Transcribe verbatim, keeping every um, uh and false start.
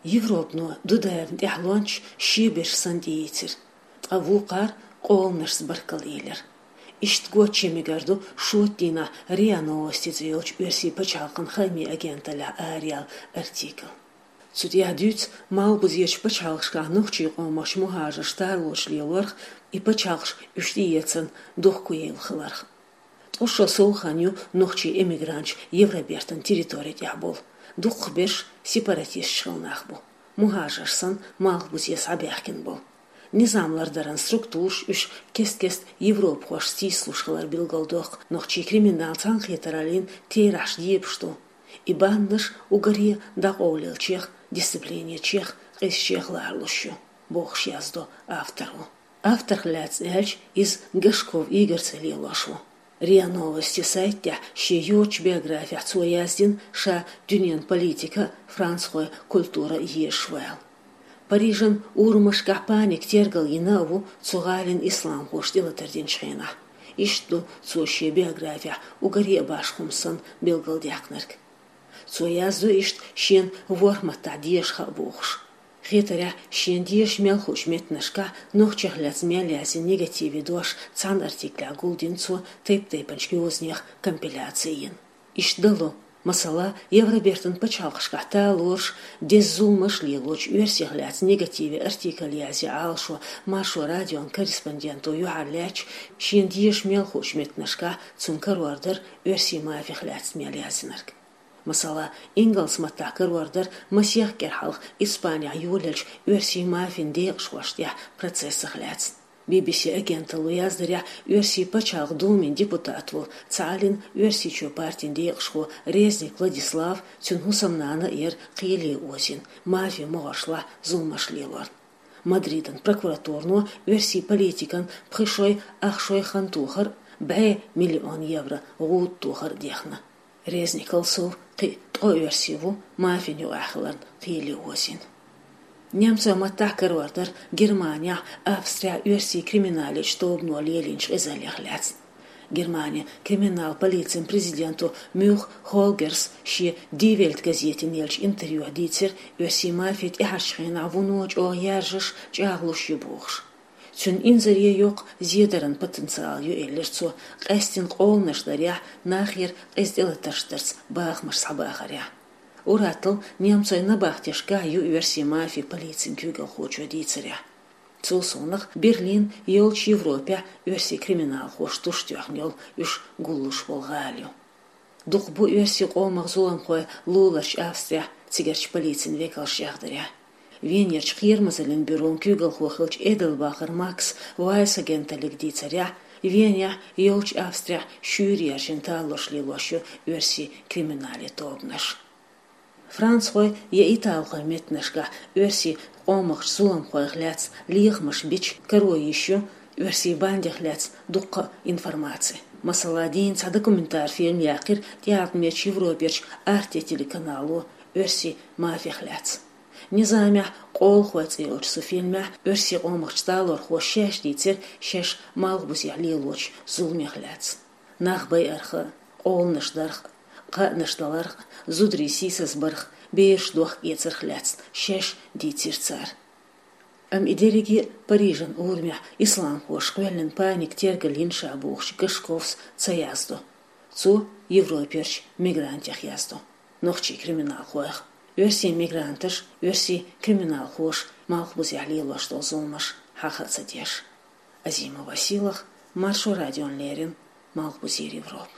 Европано дударна тӀехьлончаш шеберш санна тӀеийцира, ткъа вукхара къоланашца баркалла элира. Иштта гоча мегар ду шоттийнахь РИА Новости цӀе йолчу оьрсийн пачхьалкхан хаамийн агенталлехь араяьлла артикл. Цу тӀехь дуьйцу Малхбузерчу пачхьалкхашкахь нохчийн къомах мухӀажарш тарлуш лелорх, и пачхьалкхаш уьш тӀеэцарна дохко йевлла хиларх. Ткъа шо сов хан ю нохчийн эмигранташ Евробертан территори тӀехь болу, дукхахберш сепаратисташ хилла нах бу, мухӀажарш санна, Малхбузе схьабаьхкина болу. Низам лардаран структураш уьш кест-кеста европахошца тийсалуш хилар билгалдоккху нохчийн криминал цхьаьнакхетараллин терахьаш дебаш ду. И бандаш уггаре дӀакъовлаеллачех, дисциплинечех, къизачех ларалуш ю, бохуш яздо авторо. Авторх лаьцна аьлча, иза Гашков Игорь цӀе лелош ву. РИА Новости сайта тӀехь шен йоцчу биографехь цо яздина, ша дуьненан политика а, францхойн культура а езаш вала. Парижан урамашкахь паника тергал йина а ву цу гӀалина исламхоша тӀелатар динчу хенахь. Иштта ду цо шен биографехь уггаре а башха хӀума санна билгалдаьккхинарг. Цо яздо иштта шена ворхӀ маттахь деша хаа бохуш. Хетарехь, шена дезаш мел хуучу меттанашкахь нохчех лаьцна мел яздина негативе дош цхьана артиклехь гулдина цо, тайп-тайпанчу йозанех компиляци йина. Иштта дало, масала, Евробертан пачхьалкхашкахь талораш, деза зуламаш лелочу оьрсех лаьцна негативе артикль язъе Ӏалашо Маршо радион корреспонденто юьхьарлаьцча, шена дезаш мел хуучу меттанашкахь цунна карор дара оьрсийн мафех лаьцна мел яздинарг. Масала, ингалс маттахь карор дара масех кӀира хьалха Испанехь йолаеллачу оьрсийн мафин декъашхошна тӀехь процессах лаьцна. Би-би-си агенталло яздарехь, Оьрсийн пачхьалкхан Думин депутат волу цхьааллин Оьрсийчоь партин декъашхо Резник Владислав, цуьнан хӀусамнана а яра кхеле озийна, мафин могӀаршлахь зуламаш лелорна. Мадридан прокуратуро оьрсийн политикан пхи шой, ах шой хан тохар а, бӀе миллион евро гӀуда тохар а дехна. Резникал сов кхин а ткъа оьрси ву мафин юкъахь хиларна кхеле озийна. Немцойн маттахь карор дара Германехь, Австрехь оьрсийн криминалан тобано лелийначу къизаллех лаьцна. Германин криминал полицин президенто Мюх Хольгерс шен Die Welt газетина еллачу интервьюхь дийцира оьрсийн мафи тӀаьхьарчу хенахь вуно чӀогӀа яржаш, чӀагӀлуш ю бохуш. Цуьнан инзаре йоккха зедаран потенциал ю, элира цо, къаьстина къоланаш дарехь, нахера къиза тӀелатарш дарца бахамаш схьабахарехь. Ур-атталла немцойн набахтешкахь ю оьрсийн мафи полицин куьйгалхочо дийцарехь. Цул совнаха Берлин йолчу Европехь оьрсийн криминалхоша тушдоьхна йолу, уьш гуллуш болу гӀала ю. Дукха бу оьрсийн къомах зуламхой луларчу Австрехь, цигарчу полицин векалша яздарехь. Венерчу кхерамазаллин бюрон куьйгалхо хиллачу Эделбахер Макса Вайс агенталлига дийцарехь, Венехь йолчу Австрехь шуьйра яьржина талорш лелош ю оьрсийн криминалан тобанаш. Францхойн я италхойн меттанашкахь оьрсийн къомах зуламхойх лаьцна лехамаш бича, каро йиш ю оьрсийн бандех лаьцна дуккха а информаци. Масала, дийна цхьа документарни фильм яьккхира тӀеӀаткъамечу Европерчу Arte телеканало оьрсийн мафех лаьцна. «Низамехь къолахой» цӀе йолчу цу фильмехь оьрсийн къомах талорхоша шаьш дийцира шаьш Малхбузехь лелочу зуламех лаьцна. Нах байарх а, къоланаш дарх а, кхаънаш даларх а, зударий сийсазбарх а, бераш дохка эцарх а лаьцна шаьш дийцира цара. Амма и дерриге а Парижан урамехь исламхоша кхоьллина паника тергал йина ша бохучу Гашковс ца яздо. Цо Европерчу мигрантех яздо, нохчийн криминалхойх. Оьрсийн мигранташ, оьрсийн криминалхоша Малхбузехь лелош долу зуламаш хьаха а ца деш. Азимова Силах, Маршо радиона леррина, Малхбузера Европа.